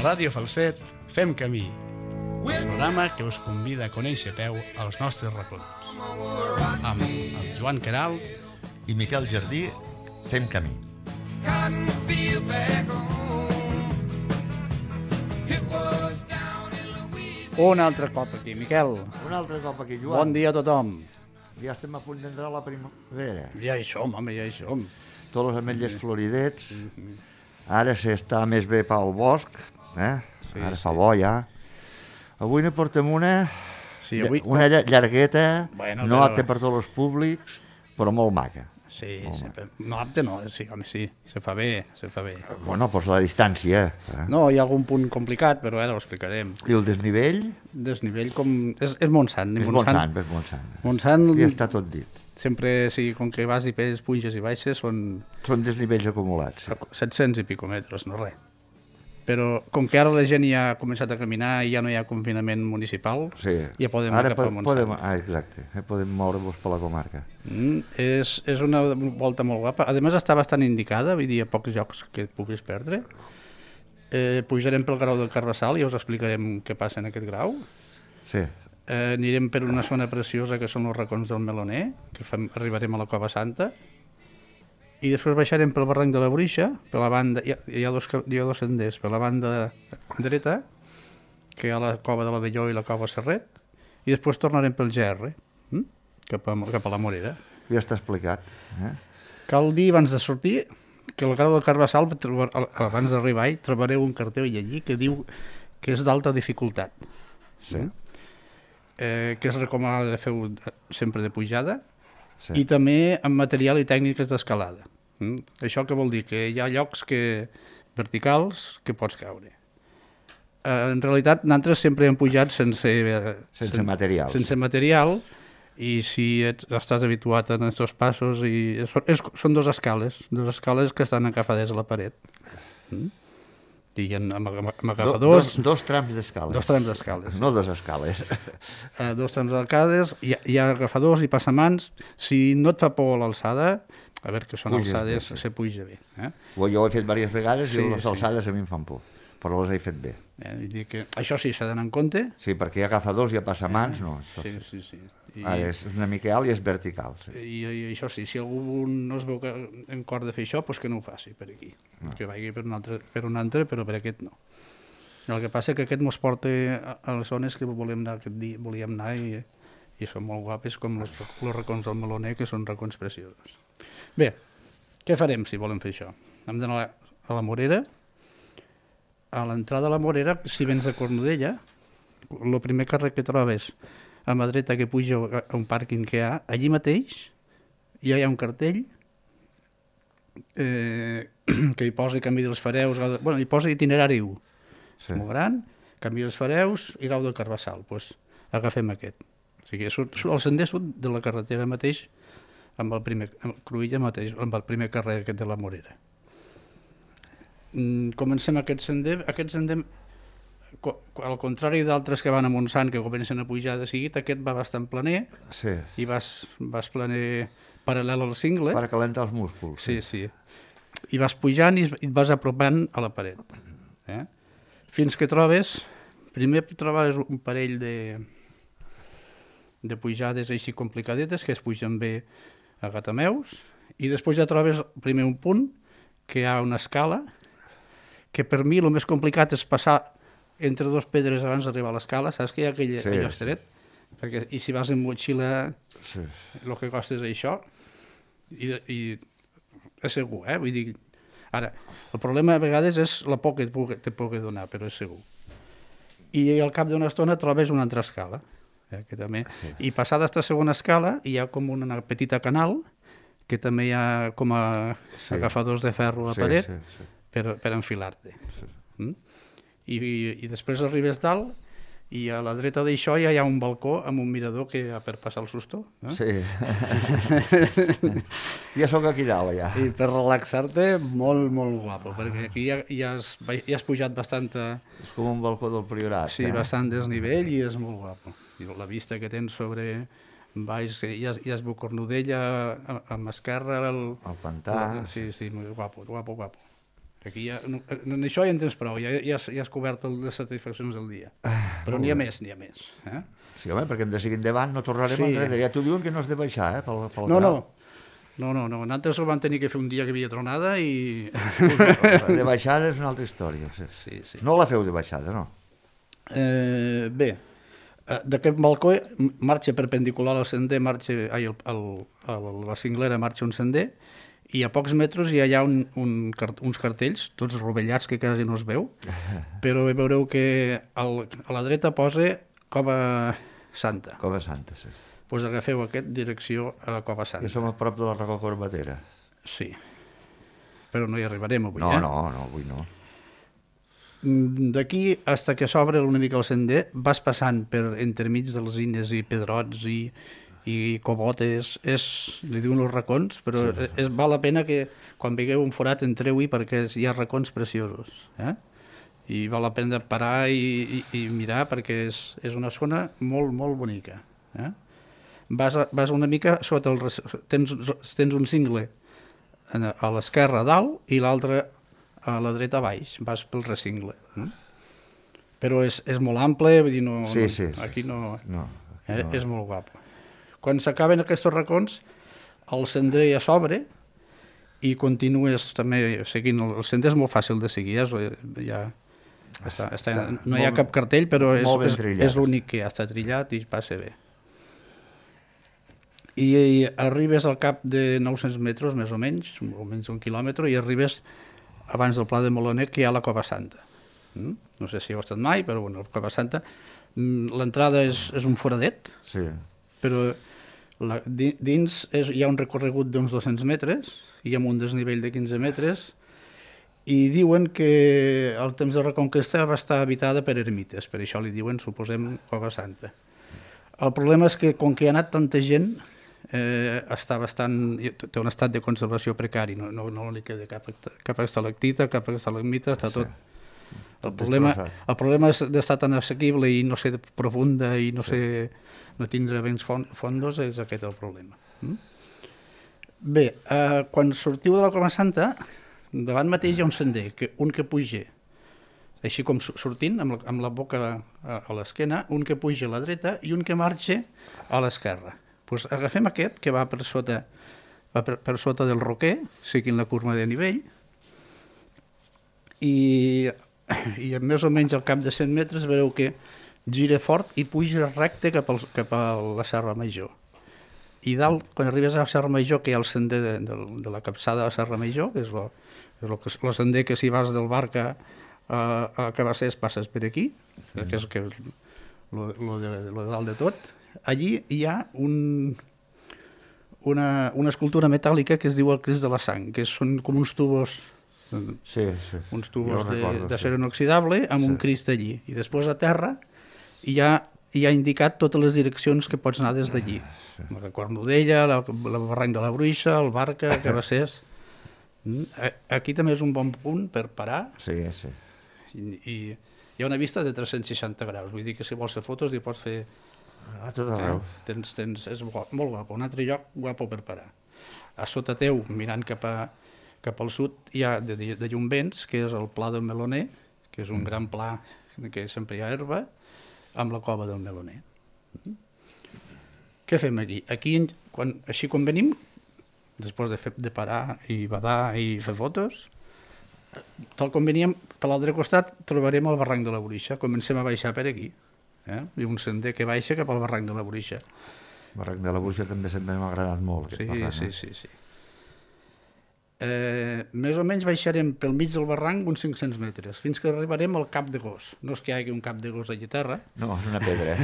Ràdio Falset fem camí, programa que us convida a conèixer a peu els nostres racons. Amb el Joan Queralt i Miquel Jardí fem camí. Un altre cop aquí, Miquel. Un altre cop aquí, Joan. Bon dia a tothom. Ja estem a punt d'entrar a la primavera. Ja hi som, home, ja hi som. Tots els ametlles floridets. Ara s'està més bé pel bosc. Ara fa bo, ja. Avui ne portem una llargueta, Bueno, no però- apte per tots els públics, però molt maca. Sí, no apte no, sí, home, sí, se fa bé, se fa bé. Bueno, doncs la distància. No, hi ha algun punt complicat, però ara ho explicarem. I el desnivell? Desnivell com... És Montsant. És Montsant, és Montsant. Montsant, Ja està tot dit. sempre, sí, com que vas i pes, puges i baixes, són Són desnivells acumulats. 700 i pico metres, no res. Però com que ara la gent ja ha començat a caminar i ja no hi ha confinament municipal, Sí. ja podem Ara anar cap a Montsant. exacte, podem moure-vos per la comarca. És una volta molt guapa. A més, està bastant indicada, vull dir, a pocs llocs que et puguis perdre. Pujarem pel grau del Carbassal i us explicarem què passa en aquest grau. Sí, Anirem per una zona preciosa que són els racons del Meloner, que arribarem a la Cova Santa, i després baixarem pel barranc de la Bruixa, per la banda, hi ha dos senders, per la banda dreta, que hi ha la Cova de la Velló i la Cova Serret, i després tornarem pel GR, cap a la Morera. ja està explicat. Cal dir, abans de sortir, que al grau del Carbassal, abans d'arribar trobareu un cartell allí que diu que és d'alta dificultat, Sí, que es recomana de fer sempre de pujada, sí. i també amb material i tècniques d'escalada. Això què vol dir? Que hi ha llocs verticals que pots caure. En realitat, nosaltres sempre hem pujat sense material. Sense material, i si estàs habituat a aquests passos, són dues escales que estan encafades a la paret. I amb agafadors... Dos trams d'escales. Dos trams d'escales. No dos escales. Dos trams d'arcades, hi ha agafadors i passamans. Si no et fa por l'alçada, a veure que són alçades, se puja bé. Jo ho he fet diverses vegades Sí, i les sí. alçades a mi em fan por, però les he fet bé. Vull dir que això sí, s'ha d'anar en compte. Sí, perquè hi ha agafadors i hi ha passamans, no. Sí. Ara és una mica alt i és vertical. Sí. I això sí, si algú no es veu en cor de fer això, doncs que no ho faci per aquí. Que vagi per un altre, però per aquest no. El que passa és que aquest ens porta a les zones que volíem anar i són molt guapes, com els racons del Meloner, que són racons preciosos. Bé, què farem si volem fer això? Hem d'anar a la Morera. A l'entrada a la Morera, si vens de Cornudella, el primer carrer que trobes a mà dreta que puja a un pàrquing que hi ha, allí mateix ja hi ha un cartell que hi posa canvi dels fareus, hi posa itinerari 1, molt gran, canvi dels fareus i grau del Carbassal, doncs agafem aquest. O sigui, surt el sender sud de la carretera mateix amb el primer Cruïlla mateix, amb el primer carrer aquest de la Morera. Comencem aquest sender, al contrari d'altres que van a Montsant, que comencen a pujar de seguit, aquest va bastant planer, Sí. i vas planer paral·lel al cingle. Per calentar els músculs. Sí. I vas pujant i et vas apropant a la paret. Fins que primer trobaràs un parell de pujades així complicadetes, que es pugen bé a gatameus, i després ja trobes primer un punt, que hi ha una escala, que per mi el més complicat és passar entre dos pedres abans d'arribar a l'escala, saps que hi ha allò estret? I si vas amb motxilla, el que costa és això, i és segur, vull dir... Ara, el problema a vegades és la por que te pugui donar, però és segur. I al cap d'una estona trobes una altra escala, que també... I passada aquesta segona escala hi ha com una petita canal, que també hi ha com a agafadors de ferro a la paret, per enfilar-te. I després arribes dalt i a la dreta d'això ja hi ha un balcó amb un mirador per passar el susto. Sí. Ja sóc aquí dalt, ja. I per relaxar-te, molt, molt guapo, perquè aquí ja has pujat bastant... És com un balcó del Priorat. Sí, bastant desnivell i és molt guapo. I la vista que tens sobre baix, ja es veu Cornudella, amb esquerra... El pantà... Sí, molt guapo. Aquí ja, en això ja en tens prou, ja has cobert les satisfaccions del dia. Però n'hi ha més. Sí, home, perquè hem de seguir endavant, no tornarem enrere. Ja t'ho diuen que no has de baixar, pel No, nosaltres ho vam tenir que fer un dia que havia tronada i... De baixada és una altra història. Sí. No la feu de baixada, no? Bé, d'aquest balcó marxa perpendicular al sender, la cinglera marxa un sender, i a pocs metres ja hi ha uns cartells, tots rovellats que quasi no es veu, però veureu que a la dreta posa Cova Santa. Cova Santa, sí. Doncs agafeu aquest, direcció a la Cova Santa. Que som a prop de la Roca Corbatera. Sí, però no hi arribarem avui, No, avui no. D'aquí, fins que s'obre una mica el sender, vas passant per entremig de les ines i pedrots i cobotes, li diuen els racons, però val la pena que quan veieu un forat entreu-hi perquè hi ha racons preciosos, i val la pena parar i mirar perquè és una zona molt, molt bonica. Vas una mica sota tens un cingle a l'esquerra a dalt i l'altre a la dreta a baix, vas pel recingle. Però és molt ample, vull dir, aquí no. És molt guapo. Quan s'acaben aquests racons, el sender ja s'obre i continues també seguint. El sender és molt fàcil de seguir, no hi ha cap cartell, però és l'únic que ja està trillat i passa bé. I arribes al cap de 900 metres, més o menys un quilòmetre, i arribes abans del Pla de Meloner, que hi ha la Cova Santa. No sé si heu estat mai, però bueno, la Cova Santa, l'entrada és un foradet, però dins hi ha un recorregut d'uns 200 metres, i amb un desnivell de 15 metres, i diuen que al temps de Reconquesta va estar habitada per ermites, per això li diuen, suposem, Cova Santa. El problema és que, com que hi ha anat tanta gent, té un estat de conservació precari, no li queda cap estalactita, cap estalagmita, està tot. El problema és d'estar tan assequible i no ser profunda i no tindre vents fondos, és aquest el problema. Bé, quan sortiu de la Cova Santa, davant mateix hi ha un sender, un que puja, així com sortint, amb la boca a l'esquena, un que puja a la dreta i un que marxa a l'esquerra. Doncs agafem aquest, que va per sota del roquer, seguint la curva de nivell, i més o menys al cap de 100 metres veureu que gira fort i puja recte cap a la Serra Major. I dalt, quan arribes a la Serra Major, que hi ha el sender de la capçada de la Serra Major, que és el sender que si vas del Barca a Cabassers passes per aquí, que és lo de dalt de tot. Allí hi ha una escultura metàl·lica que es diu el Crist de la Sang, que són com uns tubos d'acer inoxidable amb un Crist allí. I després a terra hi ha indicat totes les direccions que pots anar des d'allí. La Cornudella, el barranc de la Bruixa, el Barca, Cabassers. Aquí també és un bon punt per parar. I hi ha una vista de 360 graus, vull dir que si vols fer fotos hi pots fer... A tot arreu. És molt guapo, un altre lloc guapo per parar. A sota teu, mirant cap al sud, hi ha de Llumvents, que és el Pla del Meloner, que és un gran pla que sempre hi ha herba, amb la Cova del Meloner. Què fem aquí? Aquí, així com venim, després de parar i badar i fer fotos, tal com veníem, per l'altre costat trobarem el barranc de la Bruixa. Comencem a baixar per aquí. Hi ha un sender que baixa cap al barranc de la Bruixa. El barranc de la Bruixa també sempre m'ha agradat molt. Sí. Més o menys baixarem pel mig del barranc uns 500 metres, fins que arribarem al Cap de Gos. No és que hi hagi un cap de gos allà a terra. No, és una pedra.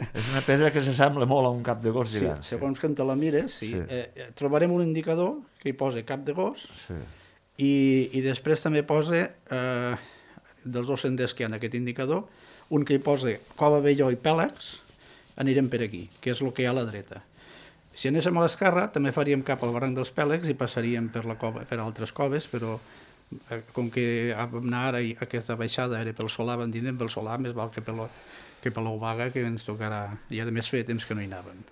És una pedra que s'assembla molt a un cap de gos d'hivern. Segons que te la mires, trobarem un indicador que hi posa cap de gos i després també posa, dels dos senders que hi ha en aquest indicador, un que hi posa Cova Velló i Pèlegs, anirem per aquí, que és el que hi ha a la dreta. Si anéssim a l'esquerra, també faríem cap al barranc dels Pèlegs i passaríem per altres coves, però com que vam anar ara i aquesta baixada era pel Solà, vam dir anem pel Solà, més val que per l'Obaga, que ens tocarà, i a més feia temps que no hi anàvem.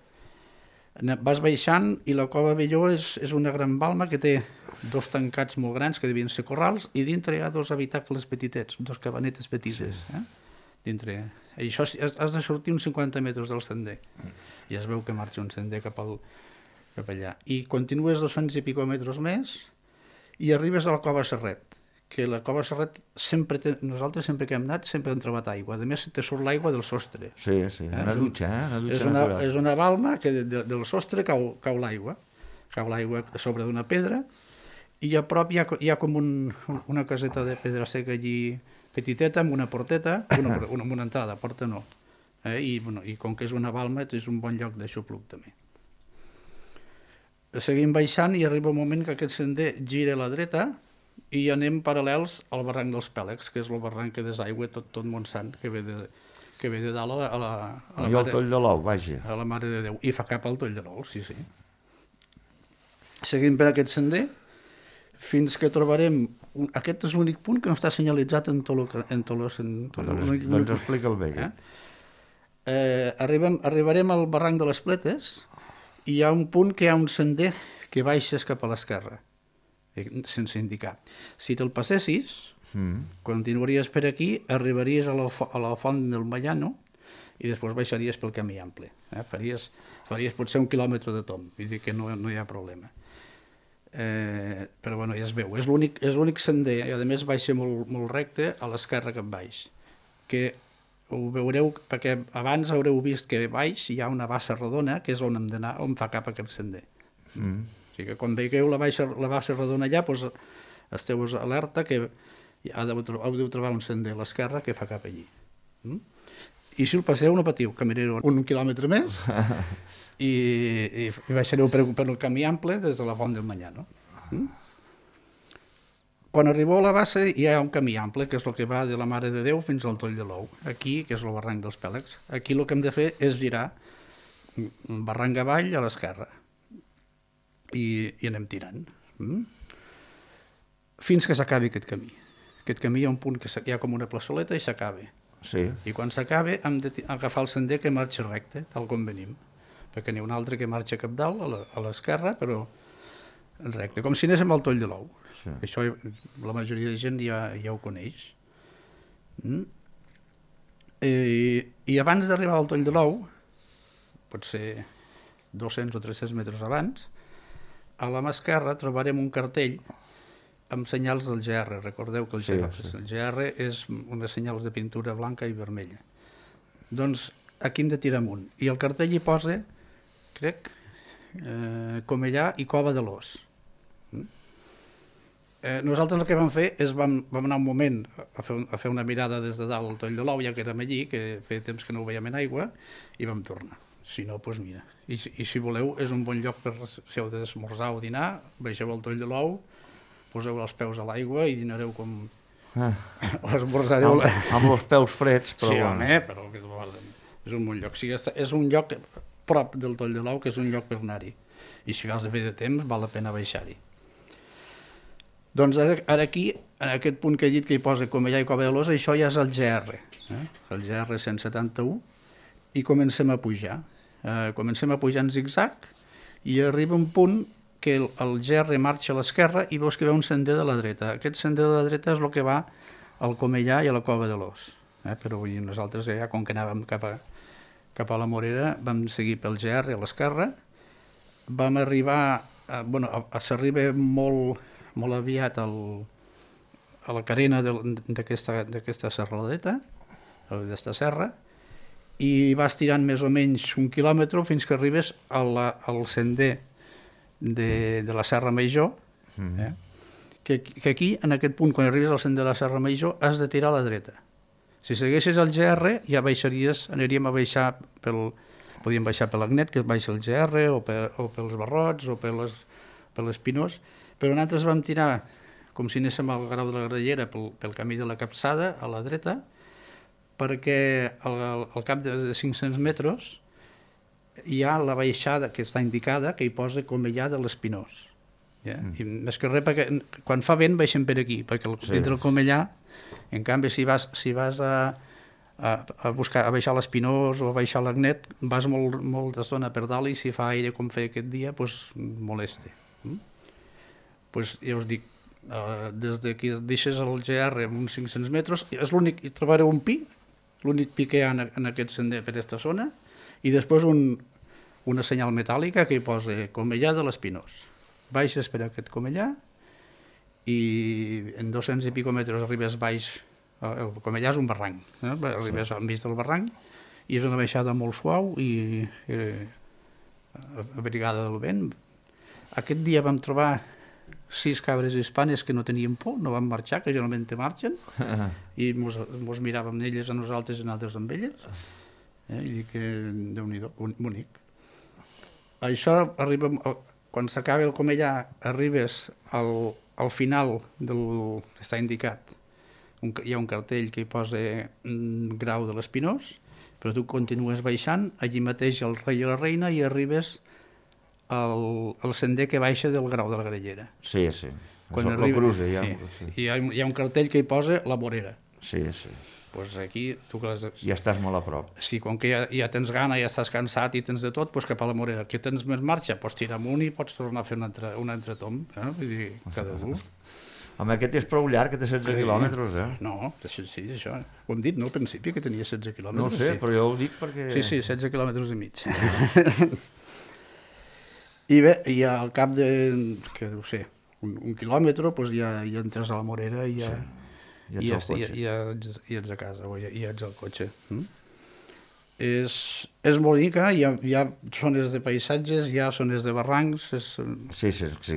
Vas baixant i la cova Velló és una gran balma que té 2 tancats molt grans que devien ser corrals i dintre hi ha 2 habitacles petitets, 2 cabanetes petites. Dintre. I això has de sortir uns 50 metres del sender. I es veu que marxa un sender cap allà. I continues 200 i pico metres més i arribes a la cova Serret, que la cova Serret nosaltres sempre que hem anat sempre hem trobat aigua. A més te surt l'aigua del sostre. Sí, una dutxa, una dutxa natural. És una balma que del sostre cau l'aigua. Cau l'aigua a sobre d'una pedra i a prop hi ha com una caseta de pedra seca allí petiteta amb una porteta, amb una entrada, porta no. I com que és una balma és un bon lloc d'aixopluc també. Seguim baixant i arriba un moment que aquest sender gira a la dreta i anem paral·lels al barranc dels Pèlegs, que és el barranc que desaigua tot Montsant, que ve de dalt a la al Toll de l'Ou, vaja. A la Mare de Déu, i fa cap al Toll de l'Ou, sí. Seguim per aquest sender fins que trobarem... Aquest és l'únic punt que no està senyalitzat en tot Doncs explica'l bé. Arribarem al barranc de les Pletes i hi ha un punt que hi ha un sender que baixes cap a l'esquerra, sense indicar. Si te'l passessis, continuaries per aquí, arribaries a la font del Mallano i després baixaries pel camí ample. Faries potser 1 quilòmetre de tomb, vull dir que no hi ha problema. Però bueno, ja es veu, és l'únic sender, i a més baixa molt recte a l'esquerra cap baix, que ho veureu perquè abans haureu vist que baix hi ha una bassa rodona que és on hem d'anar, on fa cap aquest sender. O sigui que quan veieu la bassa rodona allà, doncs esteu alerta que heu de trobar un sender a l'esquerra que fa cap allí. I si el passeu no patiu, caminareu 1 quilòmetre més i baixareu per el camí ample des de la font del Mallano. Quan arribeu a la bassa hi ha un camí ample, que és el que va de la Mare de Déu fins al Toll de l'Ou. Aquí, que és el barranc dels Pèlegs, aquí el que hem de fer és girar barranc avall a l'esquerra i anem tirant fins que s'acabi aquest camí. Aquest camí hi ha un punt que hi ha com una plaçoleta i s'acaba. Sí. I quan s'acaba hem d'agafar el sender que marxa recte, tal com venim, perquè n'hi ha un altre que marxa cap dalt a l'esquerra, però recte, com si anéssim al Toll de l'Ou. Sí. Això la majoria de gent ja ho coneix. I abans d'arribar al Toll de l'Ou, potser 200 o 300 metres abans, a la mà esquerra trobarem un cartell amb senyals del GR. Recordeu que el GR és unes senyals de pintura blanca i vermella. Doncs aquí hem de tirar amunt. I el cartell hi posa, crec, Comellà i Cova de l'Os. Nosaltres el que vam fer és vam anar un moment a fer una mirada des de dalt al Toll de l'Ou, ja que érem allí, que feia temps que no ho veiem en aigua, i vam tornar. Si no, doncs mira. I si voleu, és un bon lloc per si heu d'esmorzar o dinar, baixeu al Toll de l'Ou, poseu els peus a l'aigua i dinareu com... o esmorzareu... Amb els peus freds, però... Sí, home, però és un bon lloc. O sigui, és un lloc prop del Toll de l'Ou, que és un lloc per anar-hi. I si vas de bé de temps, val la pena baixar-hi. Doncs ara aquí, en aquest punt que he dit que hi posa Comellà i Cova de l'Os, això ja és el GR, el GR 171, i comencem a pujar. Comencem a pujar en zigzag i arriba un punt que el GR marxa a l'esquerra i veus que hi ha un sender de la dreta. Aquest sender de la dreta és el que va al Comellà i a la Cova de l'Os. Però nosaltres ja, com que anàvem cap a la Morera, vam seguir pel GR a l'esquerra, vam arribar, s'arriba molt aviat a la carena d'aquesta serradeta, d'aquesta serra, i vas tirant més o menys 1 quilòmetre fins que arribes al sender de la Serra Major, que aquí, en aquest punt, quan arribes al sender de la Serra Major, has de tirar a la dreta. Si segueixes el GR, ja aniríem a baixar podíem baixar per l'Agnet, que baixa el GR, o pels Barrots, o per l'Espinós, però nosaltres vam tirar com si anéssim al Grau de la Grallera pel camí de la Capçada, a la dreta, perquè al cap de 500 metres hi ha la baixada que està indicada, que hi posa Comellà de l'Espinós. I més que res, perquè quan fa vent baixem per aquí, perquè dintre del Comellà, en canvi, si vas a baixar l'Espinós o a baixar l'Agnet, vas molta estona per dalt i si fa aire com feia aquest dia, doncs molesta. Doncs ja us dic, des que deixes el GR amb uns 500 metres, és l'únic, trobareu un pi, l'únic pi que hi ha en aquest sender per aquesta zona, i després una senyal metàl·lica que hi posa Comellà de l'Espinós. Baixes per aquest Comellà i en 200 i pico metres arribes baix. El Comellà és un barranc, arribes al mig del barranc i és una baixada molt suau i abrigada del vent. Aquest dia vam trobar 6 cabres hispanes que no tenien por, no van marxar, que generalment te marxen, i mos miràvem elles a nosaltres i nosaltres amb elles, i dic que Déu-n'hi-do, bonic. Això arriba, quan s'acaba el Comellà, arribes al final del que està indicat. Hi ha un cartell que hi posa Grau de l'Espinós, però tu continues baixant, allí mateix el Rei i la Reina, i arribes al sender que baixa del Grau de la Grallera. Sí, sí. Quan cruza, hi ha un cartell que hi posa La Morera. Sí, sí. Pues aquí, tu que ja estàs molt a prop. Sí, com que ja tens gana, ja estàs cansat i tens de tot, doncs cap a La Morera. Que tens més marxa, pots tirar amunt i pots tornar a fer un altre tomb. Vull dir, cada un. Home, aquest és prou llarg, que té 16 quilòmetres, No, sí, això. Ho hem dit, no, al principi, que tenia 16 quilòmetres. No ho sé, però jo ho dic perquè... Sí, 16 quilòmetres i mig. I bé, i al cap de, que deu ser, un quilòmetre, doncs ja entres a La Morera i ja ets a casa, o ja ets al cotxe. És molt bonica, hi ha zones de paisatges, hi ha zones de barrancs. Sí,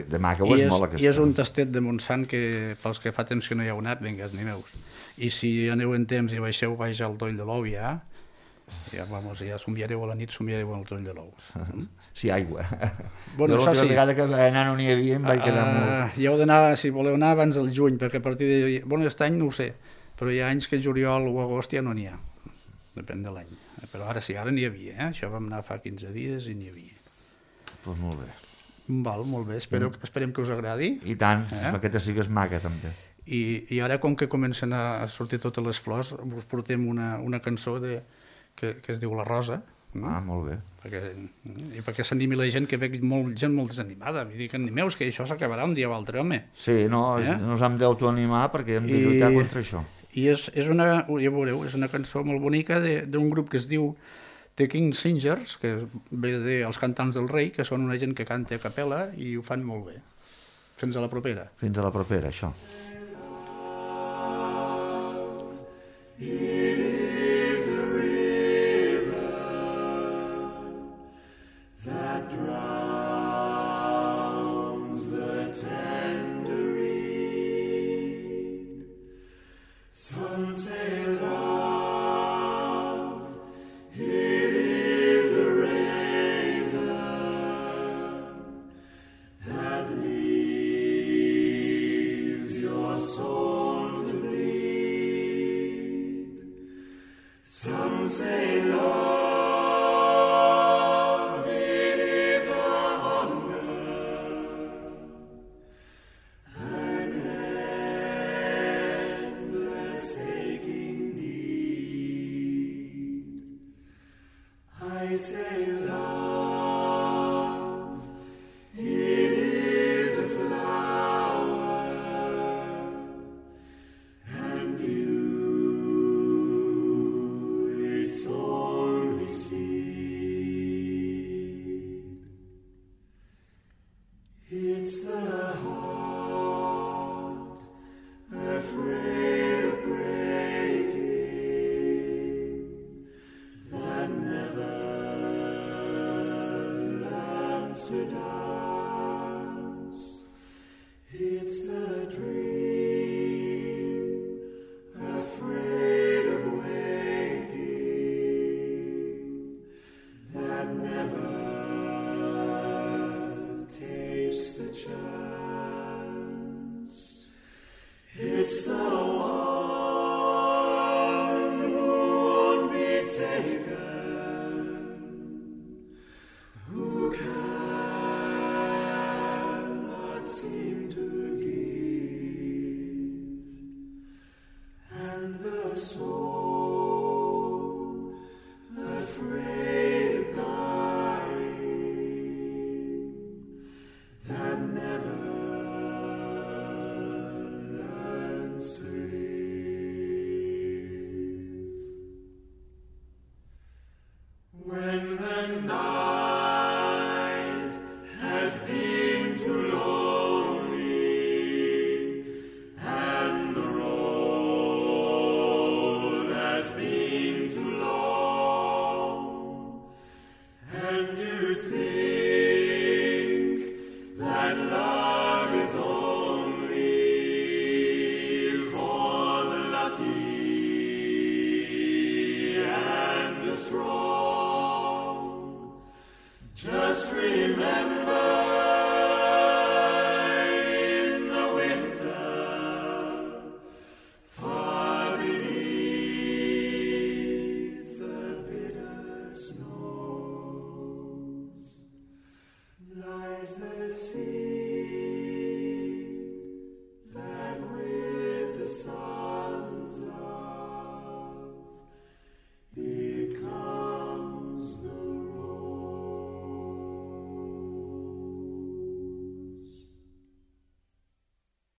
de maca ho és molt aquesta. I és un tastet de Montsant que pels que fa temps que no hi heu anat, vinga, animeu-vos. I si aneu en temps i baixeu baix al Toll de l'Ou ja somiareu a la nit, somiareu al Toll de l'Ou. Sí, aigua. Bueno, jo l'altra vegada que vaig anar no n'hi havia, em vaig quedar molt... Hi heu d'anar, si voleu anar, abans del juny, perquè a partir de... Bueno, aquest any no ho sé, però hi ha anys que juliol o agost ja no n'hi ha. Depèn de l'any. Però ara sí, ara n'hi havia, Això vam anar fa 15 dies i n'hi havia. Doncs molt bé. Val, molt bé. Esperem que us agradi. I tant, aquesta sí que és maca, també. I ara, com que comencen a sortir totes les flors, us portem una cançó que es diu La Rosa. Molt bé. Perquè s'animi la gent, que veig gent molt desanimada. Vull dir que animeus, que això s'acabarà un dia o altre, home. Sí, no ens hem d'autoanimar perquè hem de lluitar contra això. I ja veureu, és una cançó molt bonica d'un grup que es diu The King Singers, que ve dels Cantants del Rei, que són una gent que canta a capella i ho fan molt bé. Fins a la propera. Fins a la propera, això. It's the one.